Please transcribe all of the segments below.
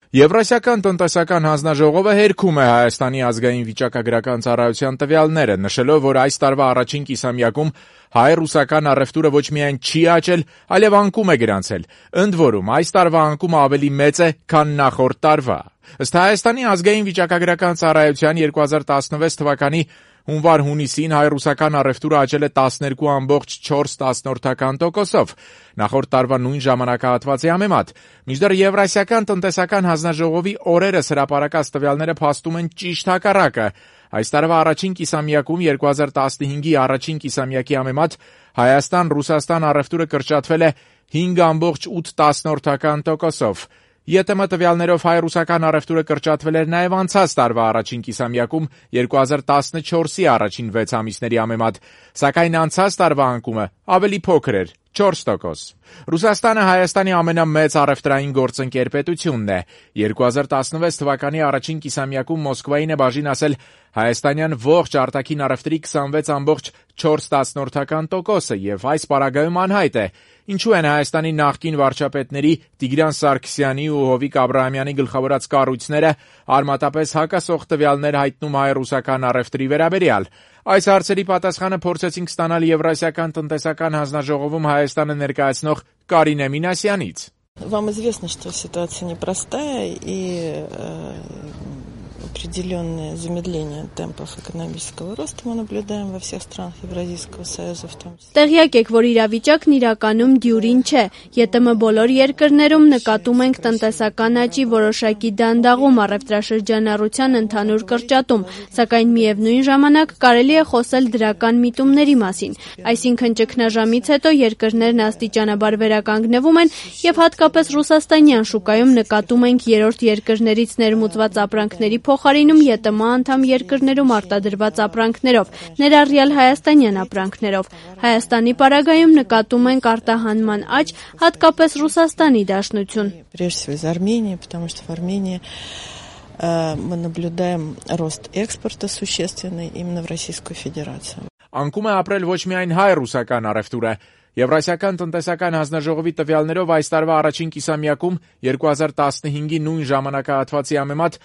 Եվրասիական տնտեսական հանձնաժողովը հերքում է Հայաստանի ազգային վիճակագրական ծառայության տվյալները, նշելով, որ այս տարվա առաջին կիսամյակում հայ-ռուսական առևտուրը ոչ միայն չի աճել, այլև անկում է գրանցել։ Ընդ որում, այս տարվա անկումը ավելի մեծ է, քան նախորդ տարվա։ Ըստ Հայաստանի ազգային վիճակագրական ծառայության 2016 թվականի հունվար-հունիսին հայ-ռուսական առևտուրը աճել է 12.4%, նախորդ տարվա նույն ժամանակահատվածի համեմատ։ Մինչդեռ Եվրասիական տնտեսական հանձնաժողովի օրերս հրապարակած տվյալները փաստում են ճիշտ հակառակը։ Այս տարվա առաջին կիսամյակում 2015-ի առաջին կիսամյակի համեմատ Հայաստան-Ռուսաստան առևտուրը կրճատվել է 5.8%։ ԵՏՄ տվյալներով հայ-ռուսական առևտուրը կրճատվել էր նաև անցած տարվա առաջին կիսամյակում 2014-ի առաջին 6 ամիսների համեմատ, սակայն անցած տարվա անկումը ավելի փոքր էր՝ 4%։ Ռուսաստանը Հայաստանի ամենամեծ առևտրային գործընկեր պետությունն է։ 2016 թվականի առաջին կիսամյակում Մոսկվային է բաժին ասել հայաստանյան ողջ արտաքին առևտրի 26.4%, եւ այս պարագայում անհայտ է, ինչու են Հայաստանի նախկին վարչապետների Տիգրան Սարգսյանի ու Հովիկ Աբրահամյանի գլխավորած կառույցները արմատապես հակասող տվյալներ հայտնում հայ-ռուսական առևտրի վերաբերյալ։ Այս հարցերի պատասխանը փորձեցինք ստանալ Եվրասիական տնտեսական հանձնաժողովում Հայաստանը ներկայացնող Կարինե Մինասյանից։ Вам известно, что ситуация непростая и определенное замедление темпов экономического роста мы наблюдаем во всех странах Евразийского союза в том числе. Տեղյակ եք, որ իրավիճակն իրականում դյուրին չէ։ ԵՏՄ բոլոր երկրներում նկատում ենք տնտեսական աճի որոշակի դանդաղում, առևտրաշրջանառության ընդհանուր կրճատում, սակայն միևնույն ժամանակ կարելի է խոսել դրական միտումների մասին։ Այսինքն ճգնաժամից հետո երկրներն աստիճանաբար վերականգնվում են եւ հատկապես ռուսաստանյան շուկայում նկատում ենք երրորդ երկրներից ներմուծված ապրանքների փոխարինում ԵՏՄ անդամ երկրներում արտադրված ապրանքներով, ներառյալ հայաստանյան ապրանքներով։ Հայաստանի պարագայում նկատում ենք արտահանման աճ, հատկապես Ռուսաստանի դաշնություն։ Прежде всего из Армении, потому что в Армении мы наблюдаем рост экспорта существенный именно в Российскую Федерацию. Անկում է ապրել ոչ միայն հայ-ռուսական առևտուրը։ Եվրասիական տնտեսական հանձնաժողովի տվյալներով այս տարվա առաջին կիսամյակում 2015-ի նույն ժամանակահատվածի համեմատ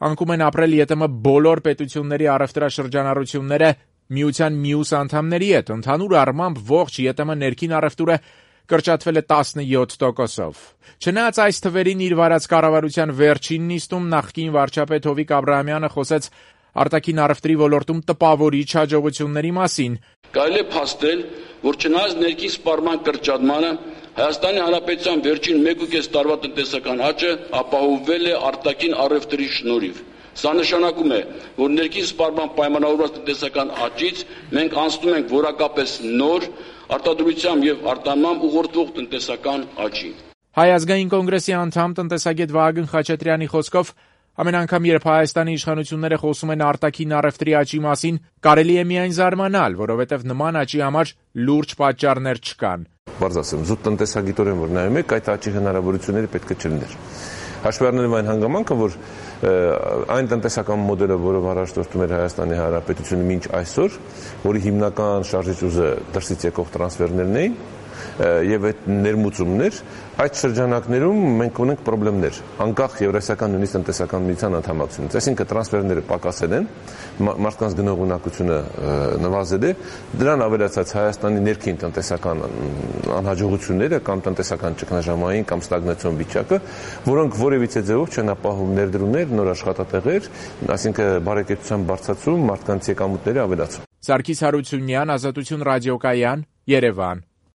անկում են ապրել ԵՏՄ բոլոր պետությունների առևտրաշրջանառությունները միության մյուս անդամների հետ։ Ընդհանուր առմամբ ողջ ԵՏՄ ներքին առևտուրը կրճատվել է 17%-ով։ Չնայած այս թվերին իր վարած կառավարության վերջին նիստում նախկին վարչապետ Հովիկ Աբրահամյանը խոսեց արտաքին առևտրի ոլորտում տպավորիչ հաջողությունների մասին։ Կարելի է փաստել, որ չնայած ներքին սպառման կրճատմանը Հայաստանի Հանրապետության վերջին 1.5 տարվա տնտեսական աճը ապահովվել է արտաքին առևտրի շնորհիվ։ Սա նշանակում է, որ ներքին սպառման պայմանավորված տնտեսական աճից մենք անցնում ենք որակապես նոր արտադրությամբ եւ արտահանմամբ ուղղորդվող տնտեսական աճի։ Հայ ազգային կոնգրեսի անդամ տնտեսագետ Վահագն Խաչատրյանի խոսքով ամեն անգամ, երբ Հայաստանի իշխանությունները խոսում են արտաքին առևտրի աճի մասին, կարելի է միայն զարմանալ, որովհետև նման աճի համար լուրջ պատճառներ չկան։ Բարձ ասեմ, զուտ տնտեսագիտորեն որ նայում եք, այդ աճի հնարավորությունները պետք է չլիներ։ Հաշվի առնելով այն հանգամանքը, որ այն տնտեսական մոդելը, որով առաջ դուրսում էր Հայաստանի Հանրապետությունը մինչ այսօր, որի հիմնական շարժիչ ուժը դրսից եկող տրանսֆերներն էին, եւ այդ ներմուծումներ, այդ շրջանակներում մենք ունենք խնդիրներ, անկախ Եվրասիական նույնիսկ տնտեսական միության անդամակցությունից, այսինքն տրանսֆերները պակասել են, մարդկանց գնողունակությունը նվազել է, դրան ավելացած Հայաստանի ներքին տնտեսական անհաջողությունները կամ տնտեսական ճգնաժամային կամ ստագնացիոն վիճակը, որոնք որևիցե ձևով չեն ապահովում ներդրումներ, նոր աշխատատեղեր, այսինքն բարեկեցության բարձրացում, մարդկանց եկամուտների ավելացում։ Սարգիս Հարությունյան, Ազատություն ռադիոկայան, Երևան։